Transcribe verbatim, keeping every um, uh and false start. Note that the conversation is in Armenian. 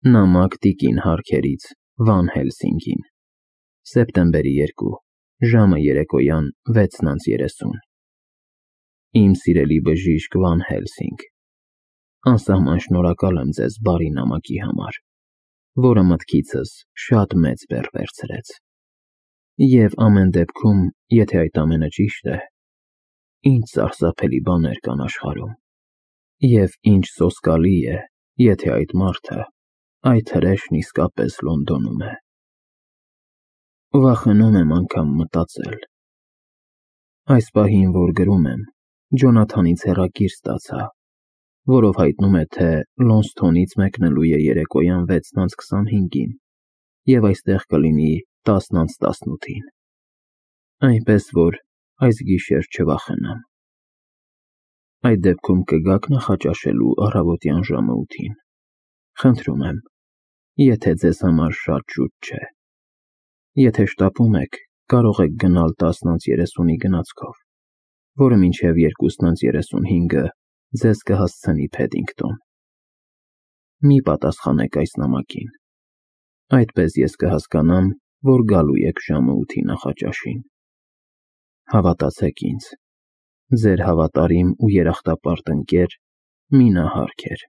Նամակ տիկին Հարքերից Վան Հելսինգին, սեպտեմբերի երկու, ժամը երեկոյան վեցն անց երեսուն։ Իմ սիրելի բժիշկ Վան Հելսինգ, անսահման շնորհակալ եմ ձեզ բարի նամակի համար, որը մտքիցս շատ մեծ բեռ վերցրեց։ Եվ ամեն դեպքում, եթե այդ ամենը ճիշտ է, ինչ սարսափելի բաներ կան աշխարհում, և ինչ սոսկալի է, եթե այդ մարդը, այդ հրեշն իսկապես Լոնդոնում է։ Վախենում եմ անգամ մտածել։ Այս պահին, որ գրում եմ, Ջոնաթանից հեռագիր ստացա, որով հայտնում է, թե Լոնսթոնից մեկնելու է երեկոյան վեցն անց քսանհինգին և այստեղ կլինի տասն անց տասնութին, այնպես որ այս գիշեր չվախենամ։ Այդ դեպքում կգա՞ք նախաճաշելու առավոտյան ժամը ութին, խնդրում եմ, եթե ձեզ համար շատ շուտ չէ։ Եթե շտապում եք, կարող եք գնալ տասն անց երեսունի գնացքով, որը մինչև երկուսն անց երեսունհինգը ձեզ կհասցնի Փեդինգտոն։ Մի պատասխանեք այս նամակին, այդպես ես կհասկանամ, որ գալու եք ժամը ութի նախաճաշին։ Հավատացեք ինձ, ձեր հավատարիմ ու երախտապարտ ընկեր Մինա Հարքեր։